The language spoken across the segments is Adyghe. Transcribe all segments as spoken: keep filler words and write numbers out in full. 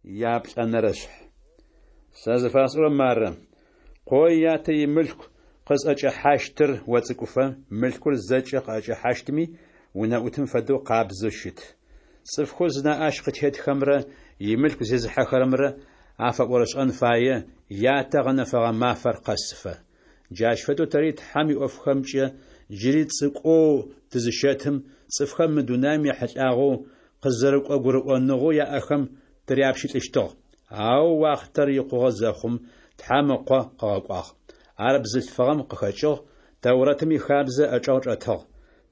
Яплӏэнэрэшъхь. Сэ зыфасӏорэр мары: къо ятэ имылъку къызӏэкӏэхьащтыр оцӏыкӏуфэ, мылъкур зэкӏэ къыӏэкӏэхьащтми, унэӏутым фэдэу къабзэу щыт. Цӏыфхэу зынаӏэ ащ къытетхэмрэ имылъку зезыхьэхэрэмрэ афэӏорышӏэн фае, ятэ ыгъэнэфэгъэ мафэр къэсыфэ. Джащ фэдэу тэри Тхьэм иӏофхэмкӏэ джыри цӏыкӏоу тызыщэтым, цӏыфхэм мы дунаем ехьылӏагъэу къызэрыкӏо гурыӏоныгъэу яӏэхэм тыряпщылӏыщтыгъ. Ау уахътэр икъугъэ зэхъум, Тхьэм Ыкъо къыгъэкӏуагъ. Ар бзылъфыгъэм къыхэкӏыгъ, Тэурэтым ихабзэ ыӏэчӏэгъ чӏэтыгъ.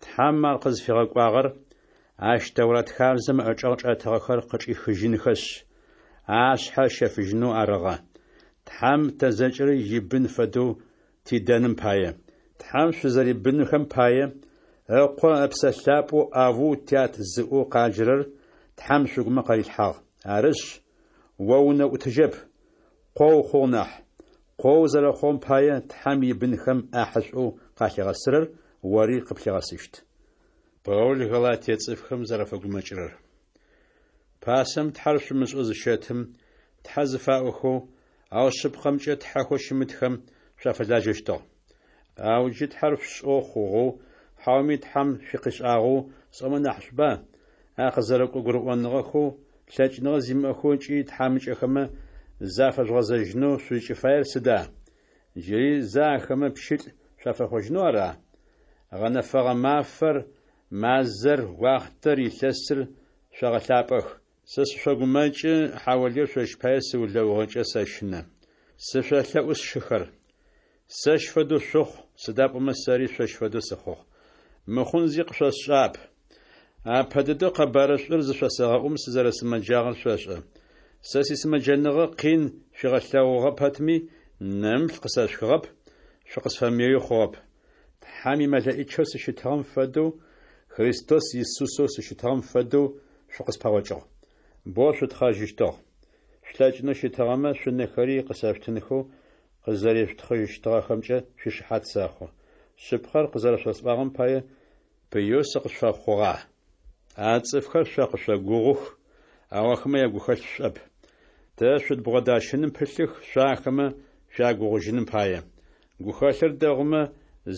Тхьэм ар къызфигъэкӏуагъэр ащ Тэурат хабзэм ыӏэчӏэгъ чӏэтыгъэхэр къычӏихыжьынхэшъ, ашъхьэ ыщэфыжьынэу арыгъэ, Тхьэм тэ зэкӏэри ибын фэдэу тидэным пае. Тхьэм шъузэрибынхэм пае, Ыкъо Ыпсэ Лъапӏэу «Авву, тят» зыӏоу къаджэрэр Тхьэм шъугумэ къарилъхьагъ. Арышъ, о уунэӏутыжьэп, къо ухъугъ нахь. Къо узэрэхъугъэм пае, Тхьэм ибынхэм ӏахьышӏоу къалъигъэсырэр ори къыплъигъэсыщт. Паул Галатие цӏыфхэм зэрафэгумэкӏырэр. Пасэм Тхьэр шъумышӏэу зыщэтым, тхьэ зыфаӏохэу, ау шъыпкъэмкӏэ тхьэхэу щымытхэм шъуафэлажьэщтыгъ. Ау джы Тхьэр шъушӏэу хъугъэу, хьауми Тхьэм шъукъишӏагъэу сӏомэ нахьышӏуба, а къызэрыкӏо гурыӏоныгъэхэу лъэкӏыныгъэ зимыӏэхэу ыкӏи тхьамыкӏэхэмэ зафэжъугъэзэжьынэу шъузкӏыфаер сыда? Джыри зэ ахэмэ пщылӏ шъуафэхъужьынэу ара? Гъэнэфэгъэ мафэр, мазэр, уахътэр, илъэсыр шъогъэлъапӏэх. Сэ сышъогумэкӏы, хьаулыеу шъощ пае сыулэугъэнкӏэ сэщынэ. Сышъолъэӏу, сшыхэр, сэщ фэдэу шъухъу, сыда пӏомэ сэри шъощ фэдэу сыхъугъ. Мыхъун зи къышъосшӏагъэп. Апэ дэдэу къэбарышӏур зышъосэгъэӏум сызэрэсымэджагъэр шъошӏэ. Сэ сисымэджэныгъэ къин шъуигъэлъэгъугъэ пэтми, нэмыплъ къысэшъухыгъэп, шъукъысфэмыеуи хъугъэп. Тхьэм имэлэӏичэу сыщытыгъэм фэдэу, Христос Исусэу сыщытыгъэм фэдэу шъукъыспэгъокӏыгъ. Боу шъутхъэжьыщтыгъ. Шъулъэкӏынэу щытыгъэмэ, шъунэхэри къысэшъутынхэу къызэрешъутхъыщтыгъэхэмкӏэ шъуишыхьат сэхъу. Шъыпкъэр къызэрэшъосӏуагъэм пае пыеу сыкъышъуфэхъугъа? А цӏыфхэр шъо къышъогугъух, ау ахэмэ ягухэлъ шӏоп. Тэ шъудбгъодащыным пылъых шъо ахэмэ шъуягугъужьыным пае. Гухэлъыр дэгъумэ,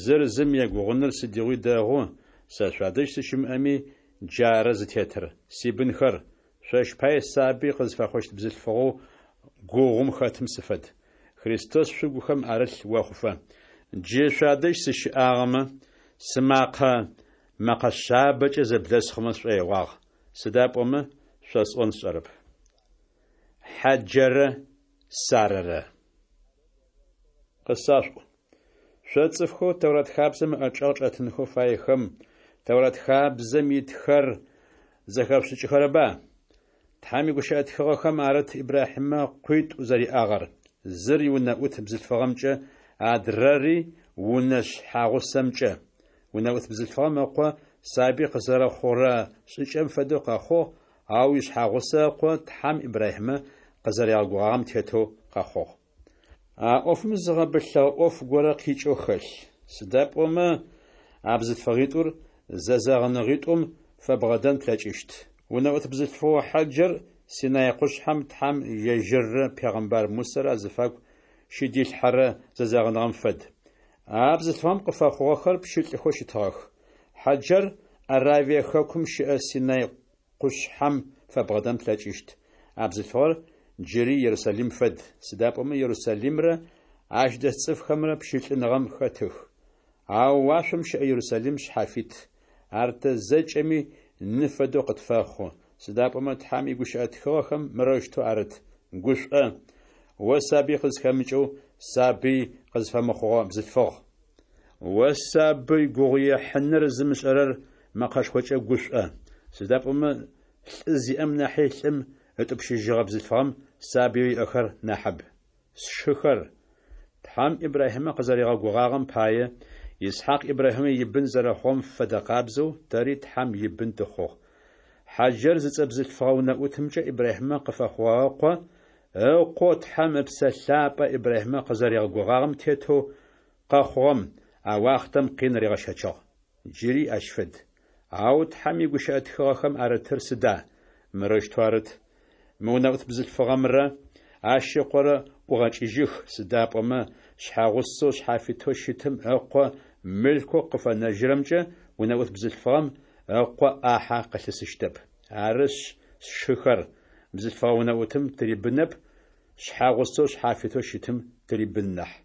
зыр зым егугъуныр сыдигъуи дэгъу, сэ шъуадэжь сыщымыӏэми, джары зытетыр. Сибынхэр, шъощ пае сабый къызфэхъущт бзылъфыгъэу гугъум хэтым сыфэд. Христос шъугухэм арылъ охъуфэ. Джы шъуадэжь сыщыӏагъэмэ, сымакъэ мэкъэ шъабэкӏэ зэблэсхъумэ сшӏоигъуагъ, сыда пӏомэ шъосӏон сшӏэрэп. Хьаджэрэ Сарэрэ. Къысашъуӏу! Шъо цӏыфхэу Тэурат хабзэм ыӏэчӏэгъ чӏэтынхэу фаехэм, Тэурат хабзэм итхэр зэхэшъушӏыкӏыхэрэба? Тхьэм игущыӏэ тхыгъэхэм арыт Ибрахьимэ къуитӏу зэриӏагъэр: зыр иунэӏут бзылъфыгъэмкӏэ, адрэри унэ шъхьагъусэмкӏэ. Унэӏут бзылъфыгъэм ыкъо сабый къызэрэхъурэ шӏыкӏэм фэдэу къэхъугъ, ау ишъхьагъусэ ыкъо Тхьэм Ибрахьимэ къызэригъэгугъагъэм тетэу къэхъугъ. А ӏофым зы гъэбылъыгъэ ӏоф горэ къикӏэу хэлъ. Сыда пӏомэ а бзылъфыгъитӏур зэзэгъыныгъитӏум фэбгъэдэн плъэкӏыщт. Унэӏут бзылъфыгъэу Хьаджэр Синай къушъхьэм Тхьэм ежьыррэ пегъэмбар Мусэрэ азыфагу щыдилъхьэрэ зэзэгъыныгъэм фэд. А бзылъфыгъэм къыфэхъугъэхэр пщылӏхэу щытыгъэх. Хьаджэр Аравие хэкум щыӏэ Синай къушъхьэм фэбгъэдэн плъэкӏыщт. А бзылъфыгъэр джыри Ерусалим фэд, сыда пӏомэ Ерусалимрэ ащ дэс цӏыфхэмрэ пщылӏыныгъэм хэтых. Ау уашъом щыӏэ Ерусалим шъхьафит, ар тэ зэкӏэми ны фэдэу къытфэхъу, сыда пӏомэ Тхьэм игущыӏэ тхыгъэхэм мырэущтэу арыт: «Гушӏо, о сабый къызхэмыкӏэу, сабый къызфэмыхъугъэ бзылъфыгъ! О сабый гугъуехьыныр зымышӏэрэр мэкъэшхокӏэ гушӏо, сыда пӏомэ лӏы зиӏэм нахьи лӏым ытӏупщыжьыгъэ бзылъфыгъэм сабыеу иӏэхэр нахьыб». Сшыхэр, Тхьэм Ибрахьимэ къызэригъэгугъагъэм пае, Исхьакъ Ибрахьимэ ибын зэрэхъугъэм фэдэ къабзэу тэри Тхьэм ибын тыхъугъ. Хьаджэр зыцӏэ бзылъфыгъэ унэӏутымкӏэ Ибрахьимэ къыфэхъугъэ ыкъо ыкъоу Тхьэм Ыпсэ Лъапӏэ Ибрахьимэ къызэригъэгугъагъэм тетэу къэхъугъэм а уахътэм къин ригъэщэчыгъ. Джыри ащ фэд. Ау Тхьэм игущыӏэ тхыгъэхэм арытыр сыда? Мырэущтэу арыт: Мы унэӏут бзылъфыгъэмрэ ащ ыкъорэ ӏугъэкӏыжьых, сыда пӏомэ шъхьэгъусэу шъхьафитэу щытым ыкъо мылъкоу къыфэнэжьырэмкӏэ унэӏут бзылъфыгъэм ыкъо ӏахьэ къылъысыщтэп. Арышъ, сшыхэр, бзылъфыгъэ унэӏутым тырибынэп, шъхьэгъусэу шъхьафитэу щытым тырибын нахь.